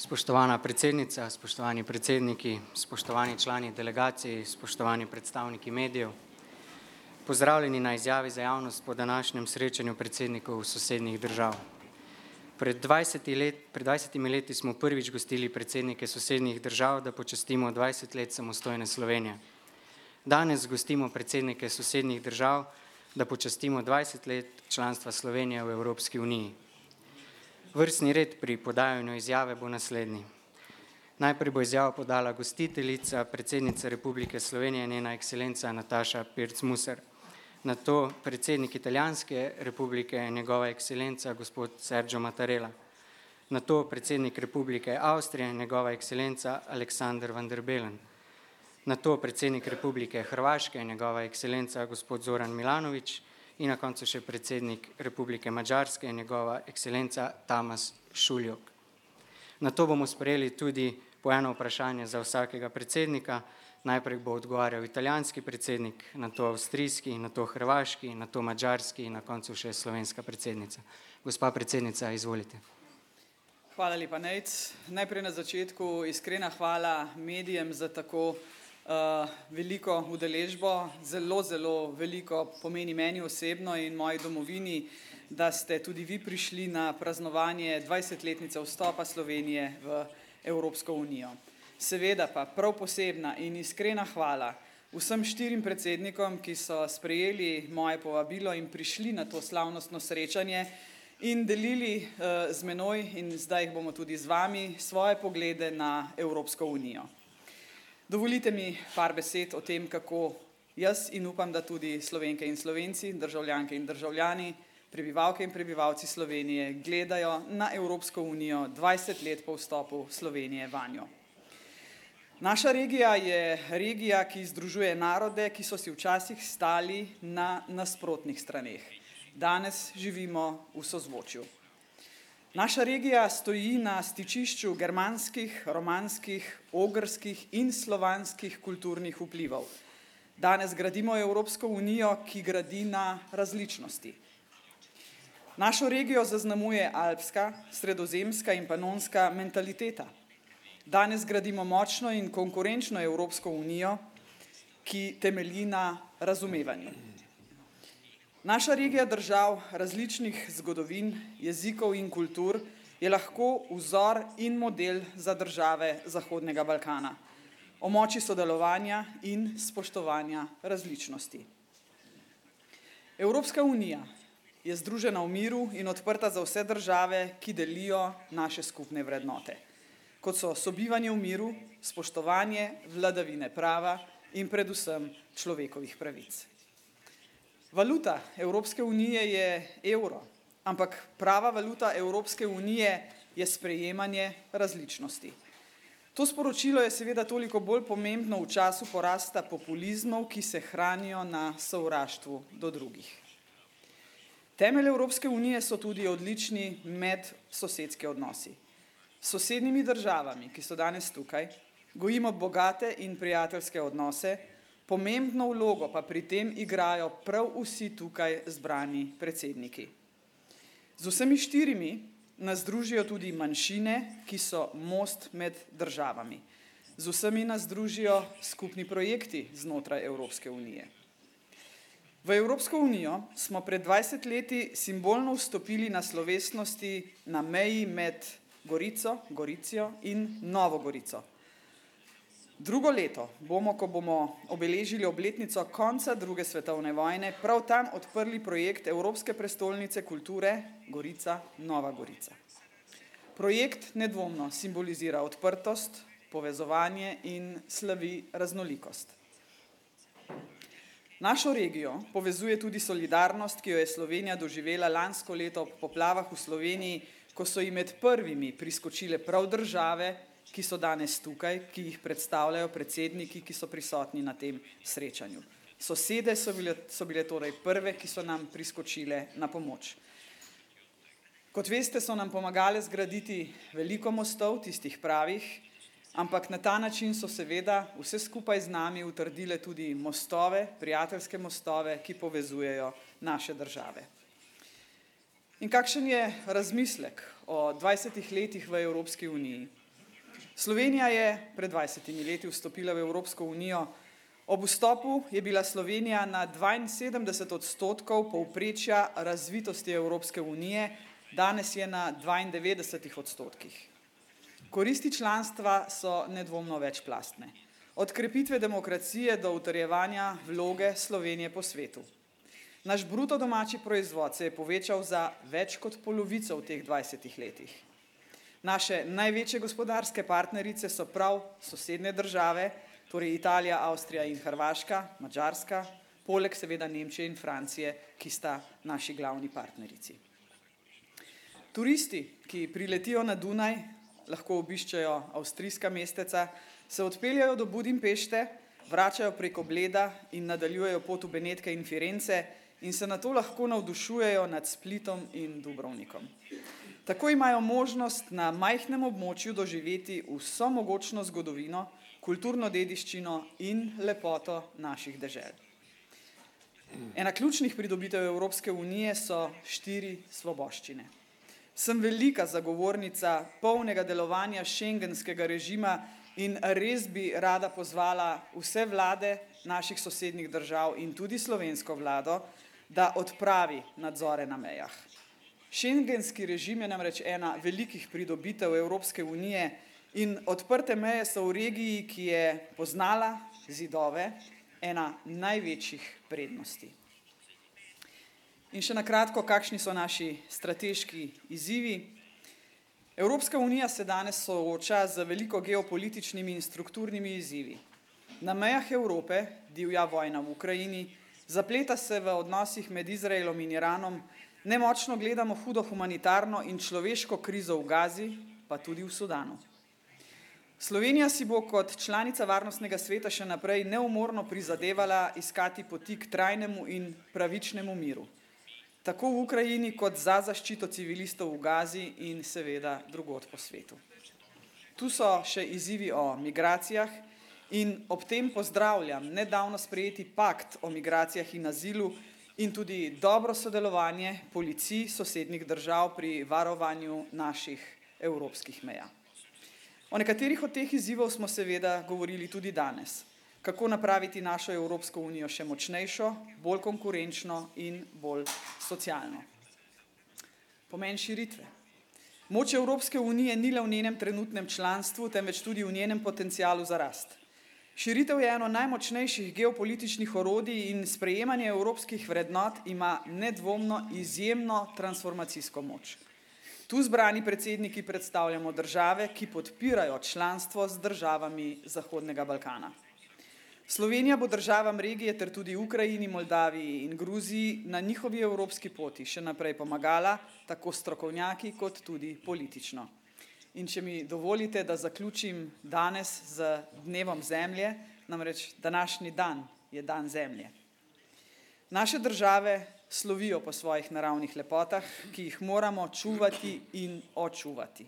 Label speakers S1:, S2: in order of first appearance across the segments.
S1: Spoštovana predsednica, spoštovani predsedniki, spoštovani člani delegacij, spoštovani predstavniki medijev, pozdravljeni na izjavi za javnost po današnjem srečanju predsednikov sosednjih držav. Pred 20 leti smo prvič gostili predsednike sosednjih držav, da počastimo 20 let samostojne Slovenije. Danes gostimo predsednike sosednjih držav, da počastimo 20 let članstva Slovenije v Evropski uniji. Vrstni red pri podajanju izjave bo naslednji. Najprej bo izjavo podala gostiteljica, predsednica Republike Slovenije, njena ekscelenca Nataša Pirc-Musar. Nato predsednik Italijanske republike, njegova ekscelenca gospod Sergio Mattarella. Nato predsednik Republike Avstrije, njegova ekscelenca Aleksander van der Bellen. Nato predsednik Republike Hrvaške, njegova ekscelenca gospod Zoran Milanović. In na koncu še predsednik Republike Madžarske, njegova ekscelenca Tamas Šuljok. Nato bomo sprejeli tudi po eno vprašanje za vsakega predsednika. Najprej bo odgovarjal italijanski predsednik, nato avstrijski, nato hrvaški, nato madžarski in na koncu še slovenska predsednica. Gospa predsednica, izvolite.
S2: Hvala lepa, Nejc. Najprej na začetku iskrena hvala medijem za tako veliko udeležbo, zelo veliko pomeni meni osebno in moji domovini, da ste tudi vi prišli na praznovanje 20-letnice vstopa Slovenije v Evropsko unijo. Seveda pa prav posebna in iskrena hvala vsem 4 predsednikom, ki so sprejeli moje povabilo in prišli na to slavnostno srečanje in delili z menoj in zdaj jih bomo tudi z vami svoje poglede na Evropsko unijo. Dovolite mi par besed o tem, kako jaz in upam, da tudi Slovenke in Slovenci, državljanke in državljani, prebivalke in prebivalci Slovenije gledajo na Evropsko unijo 20 let po vstopu Slovenije vanjo. Naša regija je regija, ki združuje narode, ki so si včasih stali na nasprotnih straneh. Danes živimo v sozvočju. Naša regija stoji na stičišču germanskih, romanskih, ogrskih in slovanskih kulturnih vplivov. Danes gradimo Evropsko unijo, ki gradi na različnosti. Našo regijo zaznamuje alpska, sredozemska in panonska mentaliteta. Danes gradimo močno in konkurenčno Evropsko unijo, ki temelji na razumevanju. Naša regija držav različnih zgodovin, jezikov in kultur je lahko vzor in model za države Zahodnega Balkana o moči sodelovanja in spoštovanja različnosti. Evropska unija je združena v miru in odprta za vse države, ki delijo naše skupne vrednote, kot so sobivanje v miru, spoštovanje vladavine prava in predvsem človekovih pravic. Valuta Evropske unije je evro, ampak prava valuta Evropske unije je sprejemanje različnosti. To sporočilo je seveda toliko bolj pomembno v času porasta populizmov, ki se hranijo na sovraštvu do drugih. Temelj Evropske unije so tudi odlični medsosedski odnosi. S sosednjimi državami, ki so danes tukaj, gojimo bogate in prijateljske odnose, pomembno vlogo pa pri tem igrajo prav vsi tukaj zbrani predsedniki. Z vsemi 4 nas združijo tudi manjšine, ki so most med državami. Z vsemi nas združijo skupni projekti znotraj Evropske unije. V Evropsko unijo smo pred 20 leti simbolno vstopili na slovesnosti na meji med Goricijo in Novo Gorico. Drugo leto bomo, ko bomo obeležili obletnico konca 2. svetovne vojne, prav tam odprli projekt Evropske prestolnice kulture Gorica-Nova Gorica. Projekt nedvomno simbolizira odprtost, povezovanje in slavi raznolikost. Našo regijo povezuje tudi solidarnost, ki jo je Slovenija doživela lansko leto ob poplavah v Sloveniji, ko so ji med prvimi priskočile prav države, ki so danes tukaj, ki jih predstavljajo predsedniki, ki so prisotni na tem srečanju. Sosede so bile torej prve, ki so nam priskočile na pomoč. Kot veste, so nam pomagale zgraditi veliko mostov, tistih pravih, ampak na ta način so seveda vse skupaj z nami utrdile tudi mostove, prijateljske mostove, ki povezujejo naše države. In kakšen je razmislek o 20 letih v Evropski uniji? Slovenija je pred 20 leti vstopila v Evropsko unijo. Ob vstopu je bila Slovenija na 72% povprečja razvitosti Evropske unije, danes je na 92%. Koristi članstva so nedvomno večplastne. Od krepitve demokracije do utrjevanja vloge Slovenije po svetu. Naš bruto domači proizvod se je povečal za več kot polovico v teh 20 letih. Naše največje gospodarske partnerice so prav sosednje države, torej Italija, Avstrija in Hrvaška, Madžarska, poleg seveda Nemčije in Francije, ki sta naši glavni partnerici. Turisti, ki priletijo na Dunaj, lahko obiščejo avstrijska mesteca, se odpeljajo do Budimpešte, vračajo preko Bleda in nadaljujejo pot v Benetke in Firence in se nato lahko navdušujejo nad Splitom in Dubrovnikom. Tako imajo možnost na majhnem območju doživeti vso mogočno zgodovino, kulturno dediščino in lepoto naših dežel. Ena ključnih pridobitev Evropske unije so 4 svoboščine. Sem velika zagovornica polnega delovanja šengenskega režima in res bi rada pozvala vse vlade naših sosednjih držav in tudi slovensko vlado, da odpravi nadzore na mejah. Šengenski režim je namreč ena velikih pridobitev Evropske unije in odprte meje so v regiji, ki je poznala zidove, ena največjih prednosti. In še na kratko, kakšni so naši strateški izzivi. Evropska unija se danes sooča z veliko geopolitičnimi in strukturnimi izzivi. Na mejah Evrope divja vojna v Ukrajini, zapleta se v odnosih med Izraelom in Iranom, nemočno gledamo hudo humanitarno in človeško krizo v Gazi, pa tudi v Sudanu. Slovenija si bo kot članica Varnostnega sveta še naprej neumorno prizadevala iskati poti k trajnemu in pravičnemu miru. Tako v Ukrajini kot za zaščito civilistov v Gazi in seveda drugod po svetu. Tu so še izzivi o migracijah in ob tem pozdravljam nedavno sprejeti pakt o migracijah in azilu in tudi dobro sodelovanje policij sosednjih držav pri varovanju naših evropskih meja. O nekaterih od teh izzivov smo seveda govorili tudi danes. Kako napraviti našo Evropsko unijo še močnejšo, bolj konkurenčno in bolj socialno. Pomen širitve. Moč Evropske unije ni le v njenem trenutnem članstvu, temveč tudi v njenem potencialu za rast. Širitev je eno najmočnejših geopolitičnih orodij in sprejemanje evropskih vrednot ima nedvomno izjemno transformacijsko moč. Tu zbrani predsedniki predstavljamo države, ki podpirajo članstvo z državami Zahodnega Balkana. Slovenija bo državam regije ter tudi Ukrajini, Moldaviji in Gruziji na njihovi evropski poti še naprej pomagala, tako strokovnjaki kot tudi politično. In če mi dovolite, da zaključim danes z dnevom zemlje, namreč današnji dan je dan zemlje. Naše države slovijo po svojih naravnih lepotah, ki jih moramo čuvati in očuvati.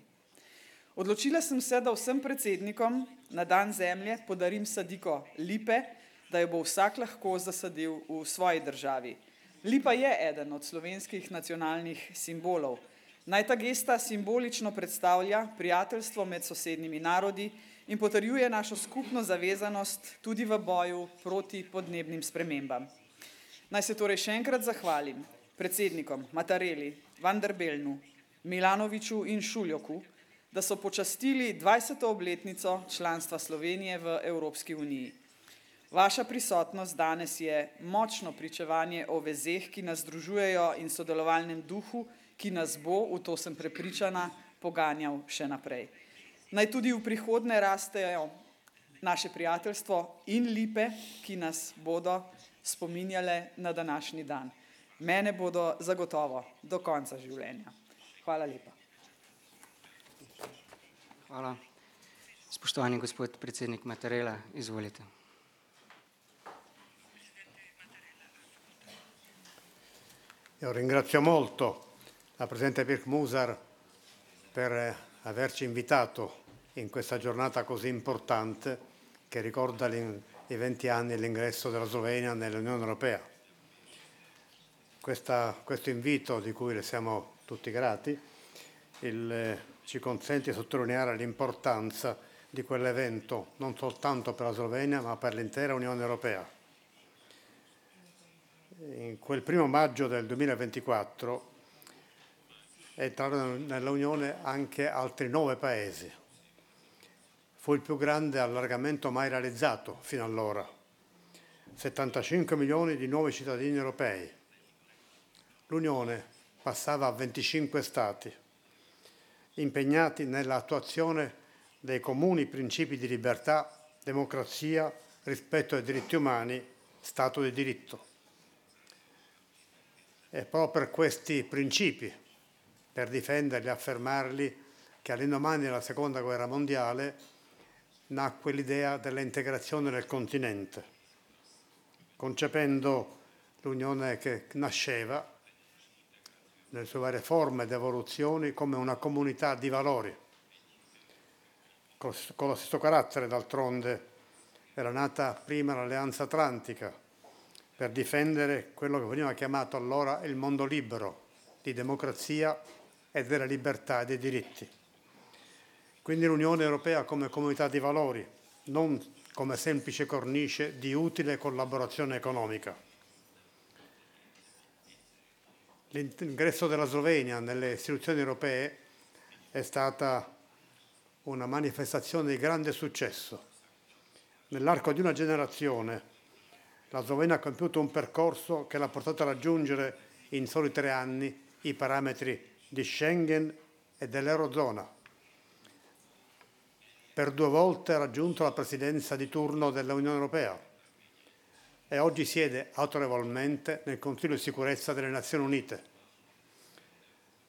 S2: Odločila sem se, da vsem predsednikom na dan zemlje podarim sadiko lipe, da jo bo vsak lahko zasadil v svoji državi. Lipa je eden od slovenskih nacionalnih simbolov. Naj ta gesta simbolično predstavlja prijateljstvo med sosednjimi narodi in potrjuje našo skupno zavezanost tudi v boju proti podnebnim spremembam. Naj se torej še enkrat zahvalim predsednikom Mattarelli, Van der Bellnu, Milanoviću in Šuljoku, da so počastili 20. obletnico članstva Slovenije v Evropski uniji. Vaša prisotnost danes je močno pričevanje o vezeh, ki nas združujejo in sodelovalnem duhu, ki nas bo, v to sem prepričana, poganjal še naprej. Naj tudi v prihodnje rastejo naše prijateljstvo in lipe, ki nas bodo spominjale na današnji dan. Mene bodo zagotovo do konca življenja. Hvala lepa.
S1: Hvala. Spoštovani gospod predsednik Mattarella, izvolite.
S3: Io ringrazio molto la Presidente Pirkko Musar per averci invitato in questa giornata così importante che ricorda i 20 anni dell'ingresso della Slovenia nell'Unione Europea. Questo invito, di cui le siamo tutti grati, ci consente di sottolineare l'importanza di quell'evento, non soltanto per la Slovenia, ma per l'intera Unione Europea. In quel 1° maggio del 2024 entrarono nell'Unione anche altri 9 paesi. Fu il più grande allargamento mai realizzato fino allora. 75 milioni di nuovi cittadini europei. L'Unione passava a 25 Stati, impegnati nell'attuazione dei comuni principi di libertà, democrazia, rispetto ai diritti umani, Stato di diritto. E proprio per questi principi, per difenderli e affermarli, che all'indomani della Seconda Guerra Mondiale nacque l'idea dell'integrazione del continente, concependo l'Unione che nasceva nelle sue varie forme ed evoluzioni come una comunità di valori. Con lo stesso carattere, d'altronde, era nata prima l'Alleanza Atlantica per difendere quello che veniva chiamato allora il mondo libero, di democrazia e della libertà e dei diritti. Quindi l'Unione Europea come comunità di valori, non come semplice cornice di utile collaborazione economica. L'ingresso della Slovenia nelle istituzioni europee è stata una manifestazione di grande successo. Nell'arco di una generazione la Slovenia ha compiuto un percorso che l'ha portato a raggiungere in soli 3 anni i parametri di Schengen e dell'Eurozona. Per 2 volte ha raggiunto la presidenza di turno dell'Unione Europea e oggi siede autorevolmente nel Consiglio di sicurezza delle Nazioni Unite.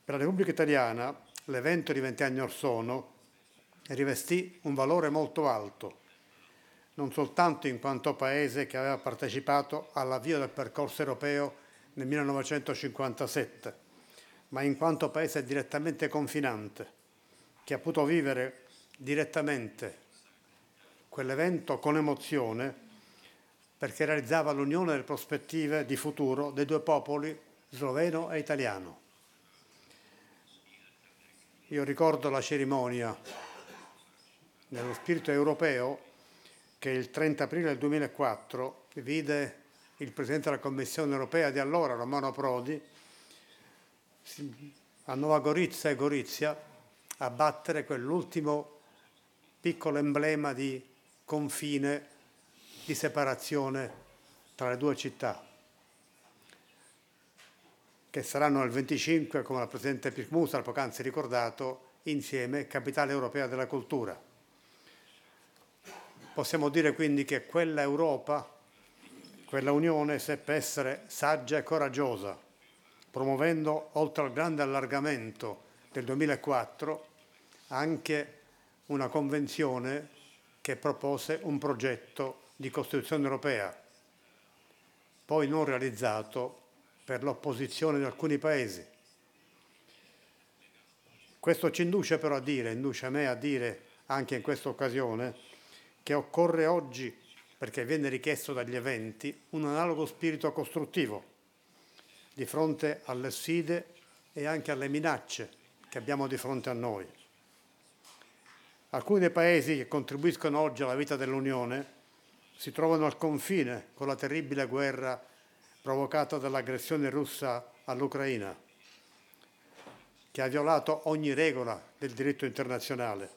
S3: Per la Repubblica Italiana l'evento di 20 anni or sono rivestì un valore molto alto, non soltanto in quanto paese che aveva partecipato all'avvio del percorso europeo nel 1957, ma in quanto paese direttamente confinante, che ha potuto vivere direttamente quell'evento con emozione, perché realizzava l'unione delle prospettive di futuro dei 2 popoli, sloveno e italiano. Io ricordo la cerimonia nello spirito europeo che il 30 aprile del 2004 vide il Presidente della Commissione europea di allora, Romano Prodi, a Nova Gorica e Gorizia abbattere quell'ultimo piccolo emblema di confine, di separazione tra le 2 città, che saranno il 25, come la Presidente Pirkko Musar poc'anzi ricordato, insieme Capitale Europea della Cultura. Possiamo dire quindi che quella Europa, quella Unione, seppe essere saggia e coraggiosa, promuovendo, oltre al grande allargamento del 2004, anche una convenzione che propose un progetto di Costituzione europea, poi non realizzato per l'opposizione di alcuni paesi. Questo ci induce però a dire, induce a me a dire anche in questa occasione, che occorre oggi, perché viene richiesto dagli eventi, un analogo spirito costruttivo di fronte alle sfide e anche alle minacce che abbiamo di fronte a noi. Alcuni dei paesi che contribuiscono oggi alla vita dell'Unione si trovano al confine con la terribile guerra provocata dall'aggressione russa all'Ucraina, che ha violato ogni regola del diritto internazionale.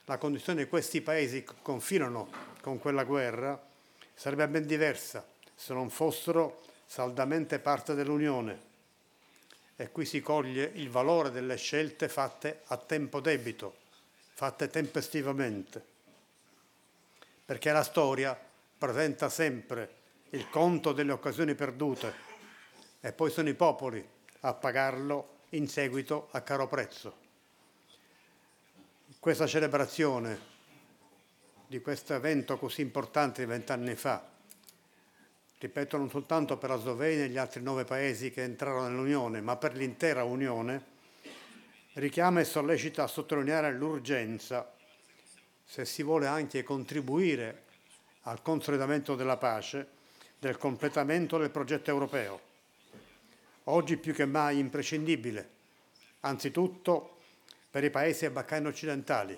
S3: La condizione di questi paesi che confinano con quella guerra sarebbe ben diversa se non fossero saldamente parte dell'Unione. E qui si coglie il valore delle scelte fatte a tempo debito, fatte tempestivamente, perché la storia presenta sempre il conto delle occasioni perdute e poi sono i popoli a pagarlo in seguito a caro prezzo. Questa celebrazione di questo evento così importante di 20 anni fa, ripeto, non soltanto per la Slovenia e gli altri 9 paesi che entrarono nell'Unione, ma per l'intera Unione, richiama e sollecita a sottolineare l'urgenza, se si vuole anche contribuire al consolidamento della pace, del completamento del progetto europeo. Oggi più che mai imprescindibile, anzitutto per i paesi dei Balcani occidentali,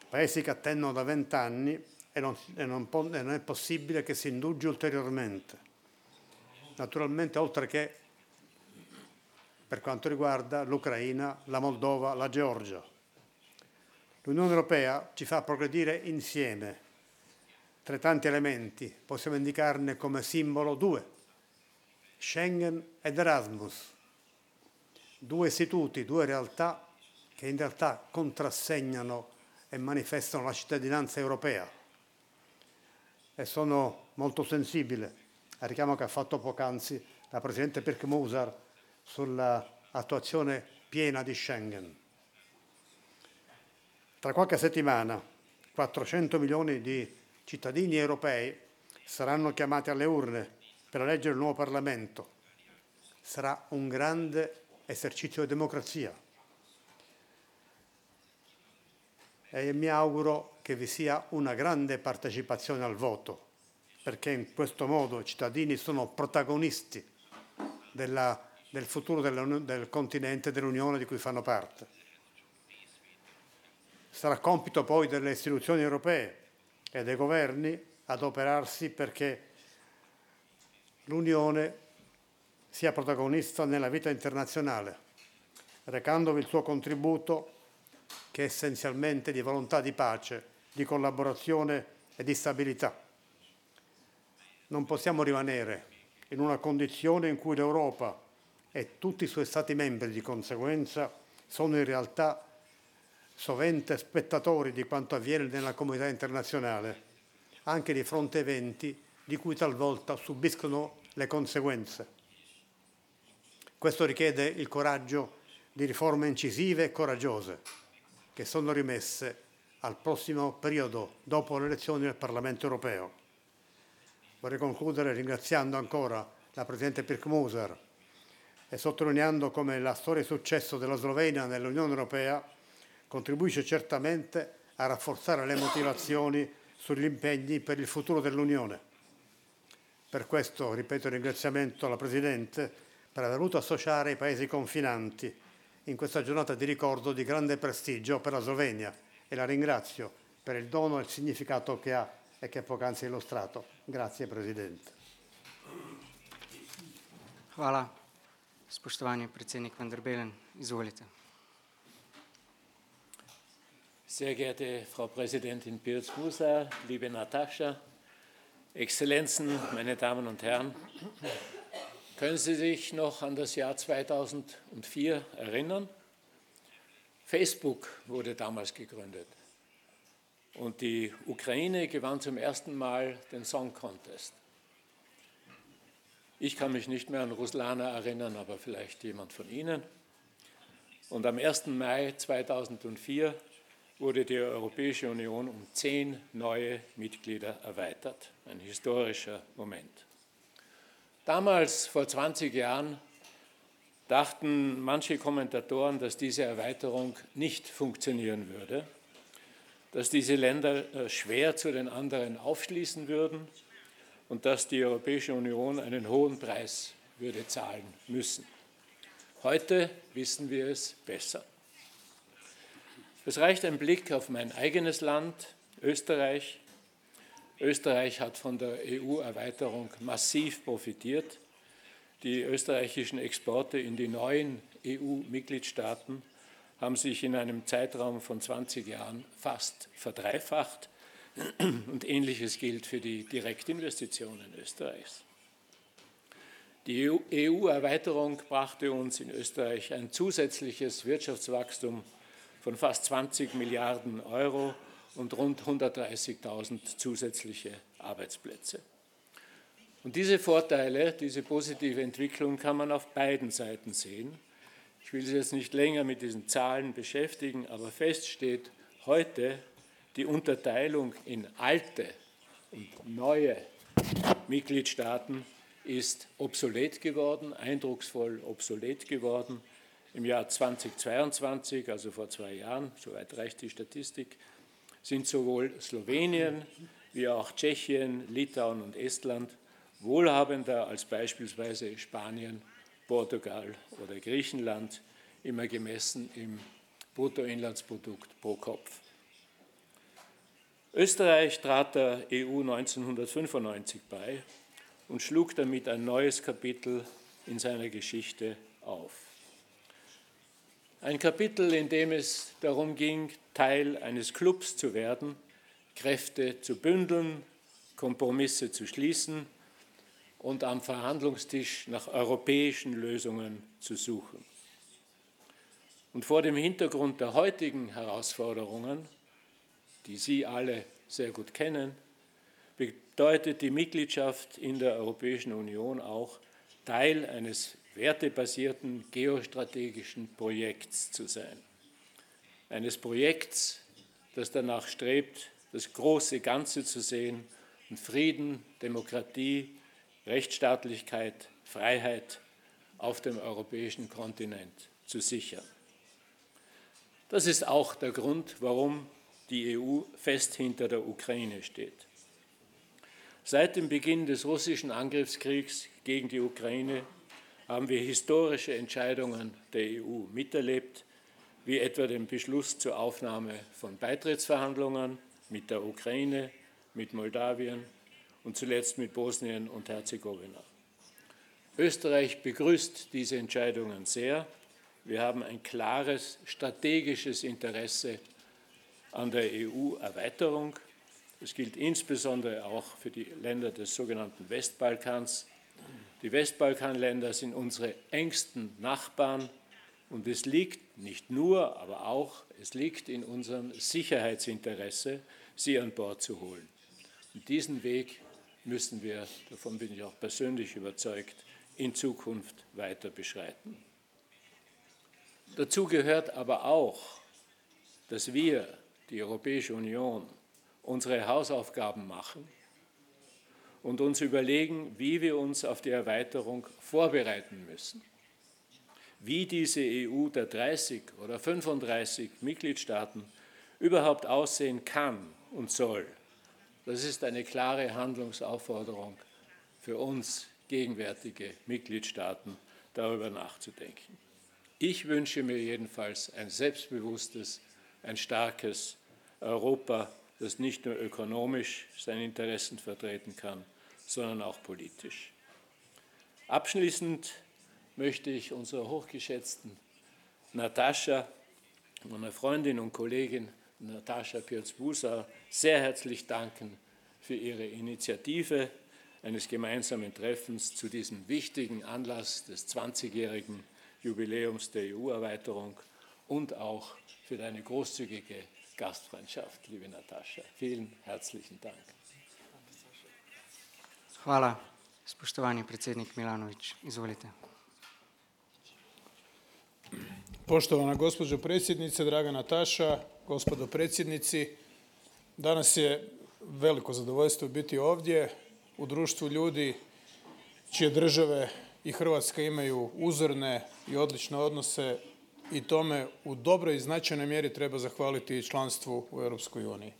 S3: paesi che attendono da 20 anni e non è possibile che si indugi ulteriormente. Naturalmente, oltre che per quanto riguarda l'Ucraina, la Moldova, la Georgia. L'Unione Europea ci fa progredire insieme. Tra tanti elementi possiamo indicarne come simbolo due: Schengen ed Erasmus, due istituti, due realtà che in realtà contrassegnano e manifestano la cittadinanza europea. E sono molto sensibile al richiamo che ha fatto poc'anzi la Presidente Pirkmusar sull'attuazione piena di Schengen. Tra qualche settimana 400 milioni di cittadini europei saranno chiamati alle urne per eleggere il nuovo Parlamento. Sarà un grande esercizio di democrazia e mi auguro che vi sia una grande partecipazione al voto, perché in questo modo i cittadini sono protagonisti del futuro del continente, dell'Unione di cui fanno parte. Sarà compito poi delle istituzioni europee e dei governi adoperarsi perché l'Unione sia protagonista nella vita internazionale, recandovi il suo contributo che è essenzialmente di volontà di pace, di collaborazione e di stabilità. Non possiamo rimanere in una condizione in cui l'Europa e tutti i suoi Stati membri di conseguenza sono in realtà sovente spettatori di quanto avviene nella comunità internazionale, anche di fronte a eventi di cui talvolta subiscono le conseguenze. Questo richiede il coraggio di riforme incisive e coraggiose, che sono rimesse al prossimo periodo dopo le elezioni del Parlamento europeo. Vorrei concludere ringraziando ancora la Presidente Pirkmusar e sottolineando come la storia di successo della Slovenia nell'Unione Europea contribuisce certamente a rafforzare le motivazioni sugli impegni per il futuro dell'Unione. Per questo ripeto il ringraziamento alla Presidente per aver voluto associare i paesi confinanti in questa giornata di ricordo di grande prestigio per la Slovenia e la ringrazio per il dono e il significato che ha e che poc'anzi ha illustrato. Grazie, Presidente.
S1: Hvala. Spoštovani predsednik van der Bellen, izvolite.
S4: Sehr geehrte Frau Präsidentin Pirkmusar, liebe Natascha, Exzellenzen, meine Damen und Herren, können Sie sich noch an das Jahr 2004 erinnern? Facebook wurde damals gegründet und die Ukraine gewann zum ersten Mal den Song Contest. Ich kann mich nicht mehr an Ruslana erinnern, aber vielleicht jemand von Ihnen. Und am 1. Mai 2004 wurde die Europäische Union um 10 neue Mitglieder erweitert. Ein historischer Moment. Damals, vor 20 Jahren, dachten manche Kommentatoren, dass diese Erweiterung nicht funktionieren würde, dass diese Länder schwer zu den anderen aufschließen würden und dass die Europäische Union einen hohen Preis würde zahlen müssen. Heute wissen wir es besser. Es reicht ein Blick auf mein eigenes Land, Österreich. Österreich hat von der EU-Erweiterung massiv profitiert. Die österreichischen Exporte in die neuen EU-Mitgliedstaaten haben sich in einem Zeitraum von 20 Jahren fast verdreifacht. Und Ähnliches gilt für die Direktinvestitionen Österreichs. Die EU-Erweiterung brachte uns in Österreich ein zusätzliches Wirtschaftswachstum von fast 20 Milliarden Euro und rund 130.000 zusätzliche Arbeitsplätze. Und diese Vorteile, diese positive Entwicklung kann man auf beiden Seiten sehen. Ich will Sie jetzt nicht länger mit diesen Zahlen beschäftigen, aber fest steht heute, die Unterteilung in alte und neue Mitgliedstaaten ist obsolet geworden, eindrucksvoll obsolet geworden. Im Jahr 2022, also vor 2 Jahren, soweit reicht die Statistik, sind sowohl Slowenien wie auch Tschechien, Litauen und Estland wohlhabender als beispielsweise Spanien, Portugal oder Griechenland, immer gemessen im Bruttoinlandsprodukt pro Kopf. Österreich trat der EU 1995 bei und schlug damit ein neues Kapitel in seiner Geschichte auf. Ein Kapitel, in dem es darum ging, Teil eines Clubs zu werden, Kräfte zu bündeln, Kompromisse zu schließen und am Verhandlungstisch nach europäischen Lösungen zu suchen. Und vor dem Hintergrund der heutigen Herausforderungen, die Sie alle sehr gut kennen, bedeutet die Mitgliedschaft in der Europäischen Union auch, Teil eines wertebasierten geostrategischen Projekts zu sein. Eines Projekts, das danach strebt, das große Ganze zu sehen und Frieden, Demokratie, Rechtsstaatlichkeit, Freiheit auf dem europäischen Kontinent zu sichern. Das ist auch der Grund, warum die EU fest hinter der Ukraine steht. Seit dem Beginn des russischen Angriffskriegs gegen die Ukraine haben wir historische Entscheidungen der EU miterlebt, wie etwa den Beschluss zur Aufnahme von Beitrittsverhandlungen mit der Ukraine, mit Moldawien und zuletzt mit Bosnien und Herzegowina. Österreich begrüßt diese Entscheidungen sehr. Wir haben ein klares strategisches Interesse an der EU-Erweiterung. Das gilt insbesondere auch für die Länder des sogenannten Westbalkans. Die Westbalkanländer sind unsere engsten Nachbarn und es liegt nicht nur, aber auch, es liegt in unserem Sicherheitsinteresse, sie an Bord zu holen. Und diesen Weg müssen wir, davon bin ich auch persönlich überzeugt, in Zukunft weiter beschreiten. Dazu gehört aber auch, dass wir, die Europäische Union, unsere Hausaufgaben machen und uns überlegen, wie wir uns auf die Erweiterung vorbereiten müssen. Wie diese EU der 30 oder 35 Mitgliedstaaten überhaupt aussehen kann und soll, das ist eine klare Handlungsaufforderung für uns gegenwärtige Mitgliedstaaten, darüber nachzudenken. Ich wünsche mir jedenfalls ein selbstbewusstes, ein starkes Europa, das nicht nur ökonomisch seine Interessen vertreten kann, sondern auch politisch. Abschließend möchte ich unserer hochgeschätzten Natascha, meiner Freundin und Kollegin Natascha Pirc-Musar, sehr herzlich danken für ihre Initiative eines gemeinsamen Treffens zu diesem wichtigen Anlass des 20-jährigen Jubiläums der EU-Erweiterung und auch für deine großzügige Gastfreundschaft, liebe Natascha. Vielen herzlichen Dank.
S1: Hvala, spoštovani predsjednik Milanović. Izvolite.
S5: Poštovana gospođo predsjednice, draga Nataša, gospodo predsjednici, danas je veliko zadovoljstvo biti ovdje u društvu ljudi čije države i Hrvatska imaju uzorne i odlične odnose i tome u dobroj i značajnoj mjeri treba zahvaliti članstvu u Europskoj uniji.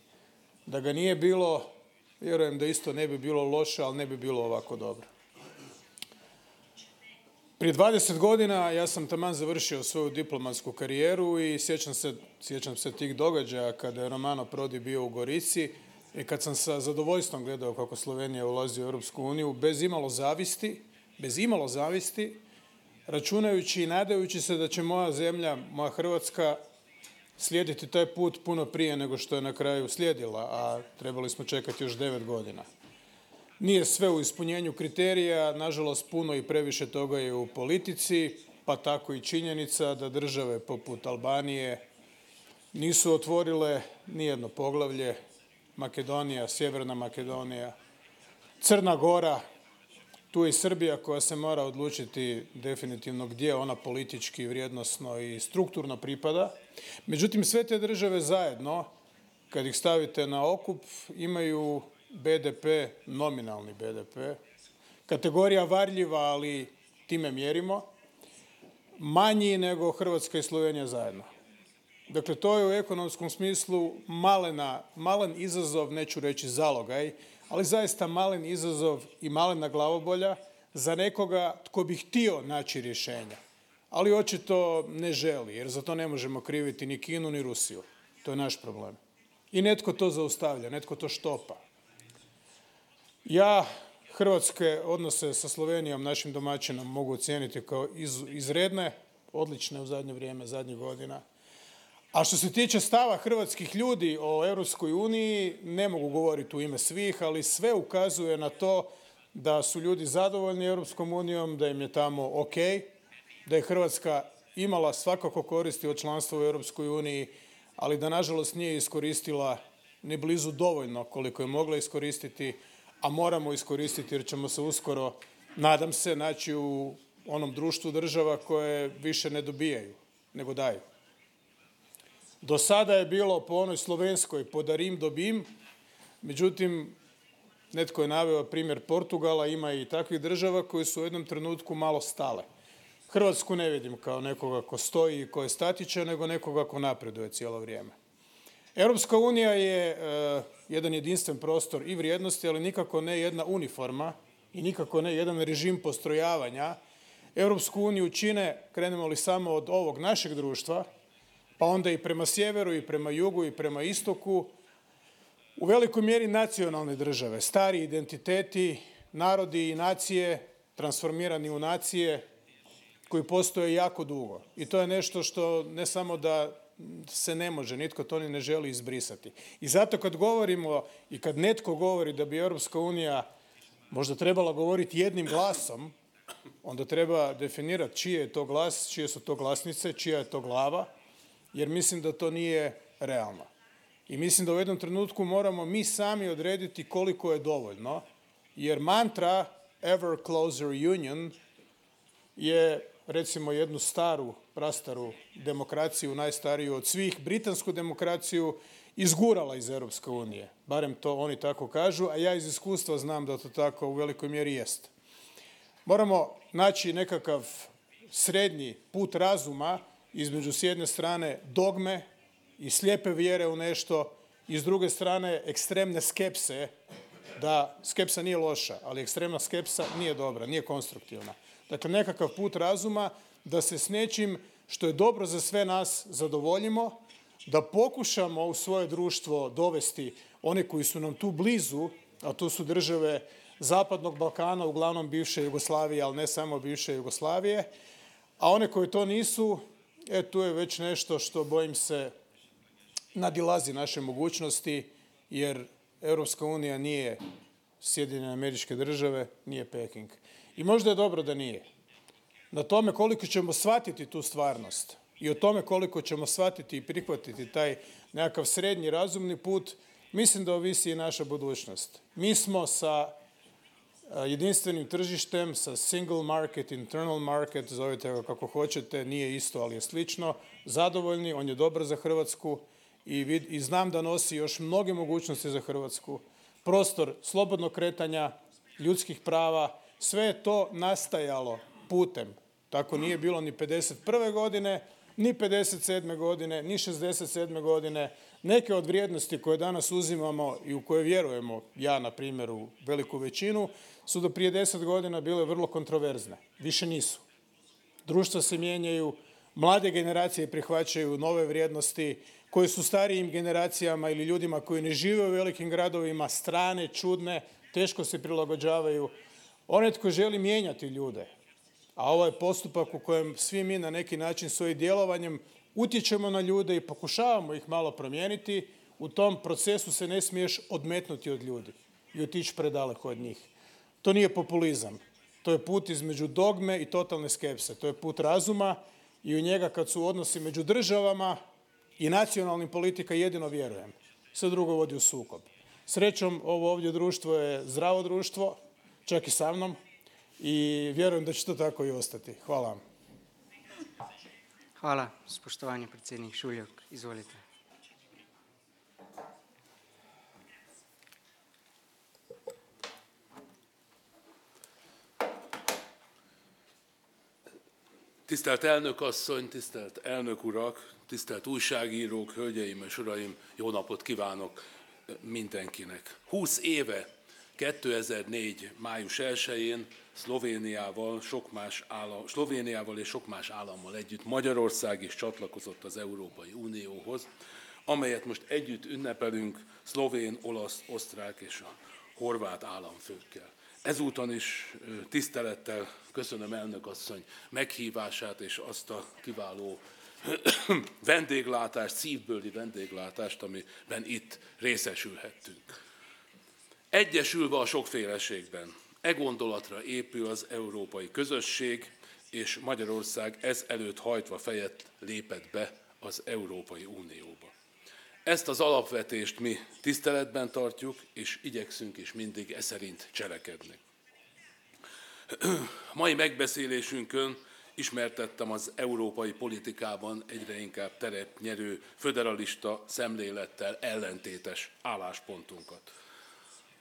S5: Da ga nije bilo, vjerujem da isto ne bi bilo loše, ali ne bi bilo ovako dobro. Prije 20 godina ja sam taman završio svoju diplomatsku karijeru i sjećam se tih događaja kada je Romano Prodi bio u Gorici i kad sam sa zadovoljstvom gledao kako Slovenija ulazi u Europsku uniju bez imalo zavisti, računajući i nadajući se da će moja zemlja, moja Hrvatska, slijediti taj put puno prije nego što je na kraju slijedila, a trebali smo čekati još 9 godina. Nije sve u ispunjenju kriterija, nažalost puno i previše toga je u politici, pa tako i činjenica da države poput Albanije nisu otvorile nijedno poglavlje, Makedonija, Sjeverna Makedonija, Crna Gora, tu je i Srbija koja se mora odlučiti definitivno gdje ona politički, vrijednosno i strukturno pripada. Međutim, sve te države zajedno, kad ih stavite na okup, imaju BDP, nominalni BDP, kategorija varljiva, ali time mjerimo, manji nego Hrvatska i Slovenija zajedno. Dakle, to je u ekonomskom smislu malen izazov, neću reći zalogaj, ali zaista malen izazov i malena glavobolja za nekoga tko bi htio naći rješenja. ali očito ne želi, jer za to ne možemo kriviti ni Kinu ni Rusiju. To je naš problem. I netko to zaustavlja, netko to štopa. Ja hrvatske odnose sa Slovenijom, našim domaćinom, mogu ocijeniti kao izredne, odlične u zadnje vrijeme, zadnjih godina. A što se tiče stava hrvatskih ljudi o Europskoj uniji, ne mogu govoriti u ime svih, ali sve ukazuje na to da su ljudi zadovoljni Europskom unijom, da im je tamo ok, da je Hrvatska imala svakako koristi od članstva u Europskoj uniji, ali da nažalost nije iskoristila ni blizu dovoljno koliko je mogla iskoristiti, a moramo iskoristiti jer ćemo se uskoro, nadam se, naći u onom društvu država koje više ne dobijaju, nego daju. Do sada je bilo po onoj slovenskoj podarim dobim, međutim, netko je naveo primjer Portugala, ima i takvih država koje su u jednom trenutku malo stale. Hrvatsku ne vidim kao nekoga ko stoji i ko je statičan, nego nekoga ko napreduje cijelo vrijeme. Europska unija je jedan jedinstven prostor i vrijednosti, ali nikako ne jedna uniforma i nikako ne jedan režim postrojavanja. Europsku uniju čine, krenemo li samo od ovog našeg društva, pa onda i prema sjeveru i prema jugu i prema istoku, u velikoj mjeri nacionalne države, stari identiteti, narodi i nacije, transformirani u nacije koji postoje jako dugo. I to je nešto što ne samo da se ne može, nitko to ni ne želi izbrisati. I zato kad govorimo i kad netko govori da bi Europska unija možda trebala govoriti jednim glasom, onda treba definirati čiji je to glas, čije su to glasnice, čija je to glava, jer mislim da to nije realno. I mislim da u jednom trenutku moramo mi sami odrediti koliko je dovoljno, jer mantra ever closer union je, recimo, jednu staru, prastaru demokraciju, najstariju od svih, britansku demokraciju, izgurala iz Europske unije. Barem to oni tako kažu, a ja iz iskustva znam da to tako u velikoj mjeri jest. Moramo naći nekakav srednji put razuma između s jedne strane dogme i slijepe vjere u nešto i s druge strane ekstremne skepse, da skepsa nije loša, ali ekstremna skepsa nije dobra, nije konstruktivna. Dakle, nekakav put razuma da se s nečim što je dobro za sve nas zadovoljimo, da pokušamo u svoje društvo dovesti one koji su nam tu blizu, a to su države Zapadnog Balkana, uglavnom bivše Jugoslavije, ali ne samo bivše Jugoslavije, a one koje to nisu, tu je već nešto što, bojim se, nadilazi naše mogućnosti, jer Europska unija nije Sjedinjene Američke Države, nije Peking. I možda je dobro da nije. Na tome koliko ćemo shvatiti tu stvarnost i o tome koliko ćemo shvatiti i prihvatiti taj nekakav srednji razumni put, mislim da ovisi i naša budućnost. Mi smo sa jedinstvenim tržištem, sa single market, internal market, zovite ga kako hoćete, nije isto, ali je slično, zadovoljni, on je dobar za Hrvatsku i znam da nosi još mnoge mogućnosti za Hrvatsku. Prostor slobodnog kretanja, ljudskih prava, sve je to nastajalo putem. Tako nije bilo ni 51. godine, ni 57. godine, ni 67. godine. Neke od vrijednosti koje danas uzimamo i u koje vjerujemo, ja na primjer u veliku većinu, su do prije 10 godina bile vrlo kontroverzne. Više nisu. Društva se mijenjaju, mlade generacije prihvaćaju nove vrijednosti koje su starijim generacijama ili ljudima koji ne žive u velikim gradovima strane, čudne, teško se prilagođavaju. Onaj tko želi mijenjati ljude, a ovo je postupak u kojem svi mi na neki način svojim djelovanjem utječemo na ljude i pokušavamo ih malo promijeniti, u tom procesu se ne smiješ odmetnuti od ljudi i otići predaleko od njih. To nije populizam. To je put između dogme i totalne skepse. To je put razuma i u njega kad su odnosi među državama i nacionalnim politika jedino vjerujem. Sve drugo vodi u sukob. Srećom, ovo ovdje društvo je zdravo društvo, čak i sa mnom, i vjerujem da će to tako i ostati. Hvala vam.
S1: Hvala, spoštovani predsednik Šuljak. Izvolite.
S6: Tisztelt elnök asszony, tisztelt elnök urak, tisztelt újságírók, hölgyeim és uraim, jó napot kívánok mindenkinek. 20 éve, 2004. május 1-én Szlovéniával és sok más állammal együtt Magyarország is csatlakozott az Európai Unióhoz, amelyet most együtt ünnepelünk szlovén, olasz, osztrák és a horvát államfőkkel. Ezúton is tisztelettel köszönöm elnök asszony meghívását és azt a kiváló vendéglátást, szívbőli vendéglátást, amiben itt részesülhettünk. Egyesülve a sokféleségben, e gondolatra épül az európai közösség, és Magyarország ez előtt hajtva fejet lépett be az Európai Unióba. Ezt az alapvetést mi tiszteletben tartjuk, és igyekszünk is mindig e szerint cselekedni. Mai megbeszélésünkön ismertettem az európai politikában egyre inkább teret nyerő föderalista szemlélettel ellentétes álláspontunkat.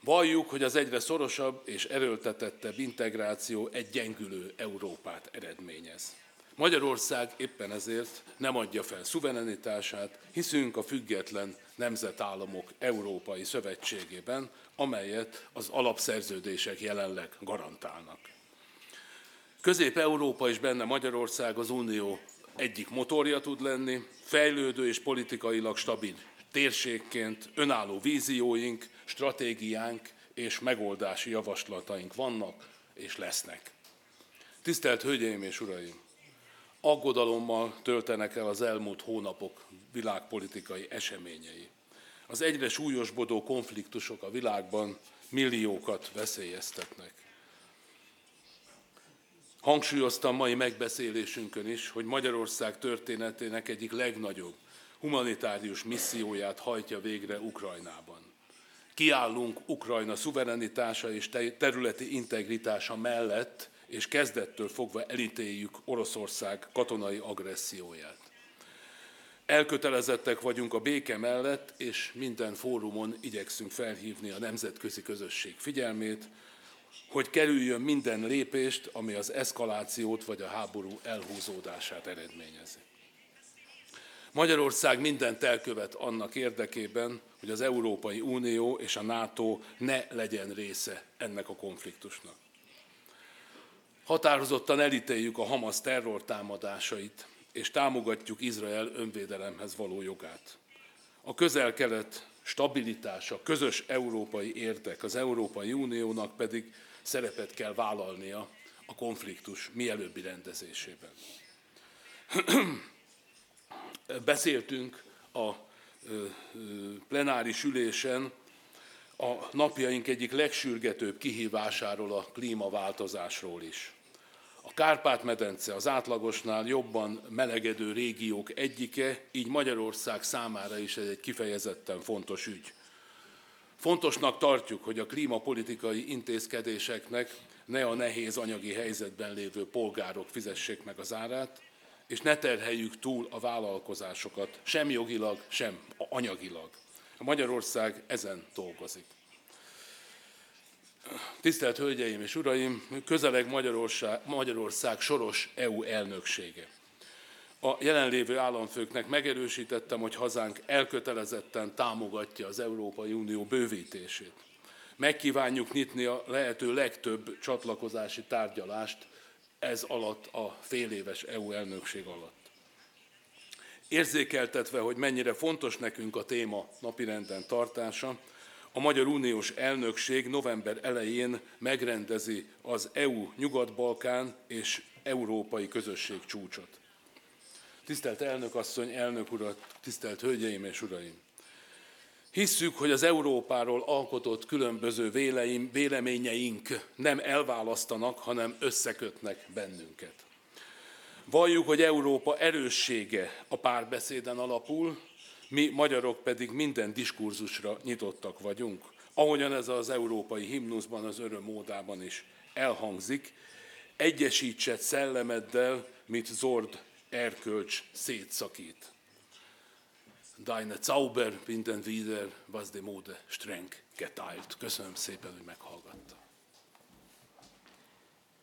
S6: Valljuk, hogy az egyre szorosabb és erőltetettebb integráció egy gyengülő Európát eredményez. Magyarország éppen ezért nem adja fel szuverenitását, hiszünk a független nemzetállamok Európai Szövetségében, amelyet az alapszerződések jelenleg garantálnak. Közép-Európa és benne Magyarország az Unió egyik motorja tud lenni, fejlődő és politikailag stabil térségként önálló vízióink, stratégiánk és megoldási javaslataink vannak és lesznek. Tisztelt Hölgyeim és Uraim! Aggodalommal töltenek el az elmúlt hónapok világpolitikai eseményei. Az egyre súlyosbodó konfliktusok a világban milliókat veszélyeztetnek. Hangsúlyoztam mai megbeszélésünkön is, hogy Magyarország történetének egyik legnagyobb humanitárius misszióját hajtja végre Ukrajnában. Kiállunk Ukrajna szuverenitása és területi integritása mellett, és kezdettől fogva elítéljük Oroszország katonai agresszióját. Elkötelezettek vagyunk a béke mellett, és minden fórumon igyekszünk felhívni a nemzetközi közösség figyelmét, hogy kerüljön minden lépést, ami az eszkalációt vagy a háború elhúzódását eredményezi. Magyarország mindent elkövet annak érdekében, hogy az Európai Unió és a NATO ne legyen része ennek a konfliktusnak. Határozottan elítéljük a Hamasz terrortámadásait, és támogatjuk Izrael önvédelemhez való jogát. A Közel-Kelet stabilitása, közös európai érdek, az Európai Uniónak pedig szerepet kell vállalnia a konfliktus mielőbbi rendezésében. Beszéltünk a plenáris ülésen a napjaink egyik legsürgetőbb kihívásáról, a klímaváltozásról is. A Kárpát-medence az átlagosnál jobban melegedő régiók egyike, így Magyarország számára is ez egy kifejezetten fontos ügy. Fontosnak tartjuk, hogy a klímapolitikai intézkedéseknek ne a nehéz anyagi helyzetben lévő polgárok fizessék meg az árát, és ne terheljük túl a vállalkozásokat, sem jogilag, sem anyagilag. Magyarország ezen dolgozik. Tisztelt Hölgyeim és Uraim, közeleg Magyarország soros EU elnöksége. A jelenlévő államfőknek megerősítettem, hogy hazánk elkötelezetten támogatja az Európai Unió bővítését. Megkívánjuk nyitni a lehető legtöbb csatlakozási tárgyalást ez alatt a féléves EU elnökség alatt. Érzékeltetve, hogy mennyire fontos nekünk a téma napirenden tartása, a Magyar Uniós Elnökség november elején megrendezi az EU Nyugat-Balkán és Európai Közösség csúcsot. Tisztelt elnök asszony, elnök urat, tisztelt hölgyeim és uraim! Hisszük, hogy az Európáról alkotott különböző véleményeink nem elválasztanak, hanem összekötnek bennünket. Valljuk, hogy Európa erőssége a párbeszéden alapul, mi magyarok pedig minden diskurzusra nyitottak vagyunk, ahogyan ez az európai himnuszban, az öröm ódában is elhangzik, egyesítsett szellemeddel, mit zord erkölcs szétszakít. Deine Zauber binden wieder, was de Mode streng geteilt. Köszönöm szépen, hogy meghallgatta.